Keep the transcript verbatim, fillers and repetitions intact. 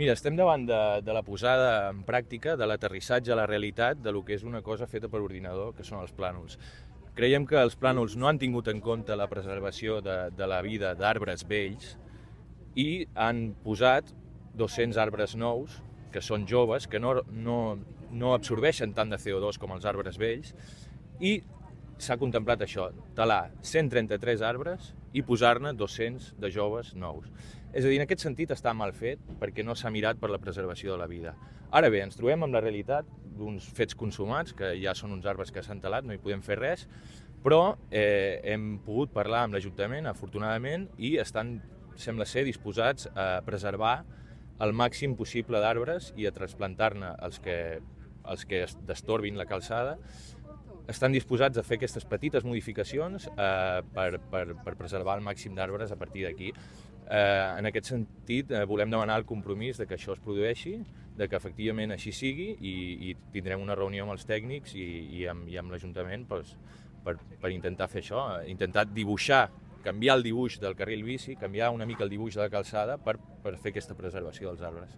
Mira, estem davant de, de la posada en pràctica, de l'aterrissatge a la realitat de lo que és una cosa feta per ordinador, que són els plànols. Creiem que els plànols no han tingut en compte la preservació de, de la vida d'arbres vells i han posat dos-cents arbres nous, que són joves, que no, no, no absorbeixen tant de C O dos com els arbres vells, i s'ha contemplat això, talar cent trenta-tres arbres i posar-ne dos-cents de joves nous. És a dir, en aquest sentit està mal fet perquè no s'ha mirat per la preservació de la vida. Ara bé, ens trobem amb la realitat d'uns fets consumats, que ja són uns arbres que s'han talat, no hi podem fer res, però eh, hem pogut parlar amb l'Ajuntament, afortunadament, i estan, sembla ser, disposats a preservar el màxim possible d'arbres i a trasplantar-ne els que, els que destorbin la calçada. Estan disposats a fer aquestes petites modificacions eh, per, per, per preservar el màxim d'arbres a partir d'aquí. Eh, en aquest sentit, eh, volem demanar el compromís de que això es produeixi, de que efectivament així sigui i, i tindrem una reunió amb els tècnics i, i amb, i amb l'Ajuntament doncs, per, per intentar fer això, intentar dibuixar, canviar el dibuix del carril bici, canviar una mica el dibuix de la calçada per, per fer aquesta preservació dels arbres.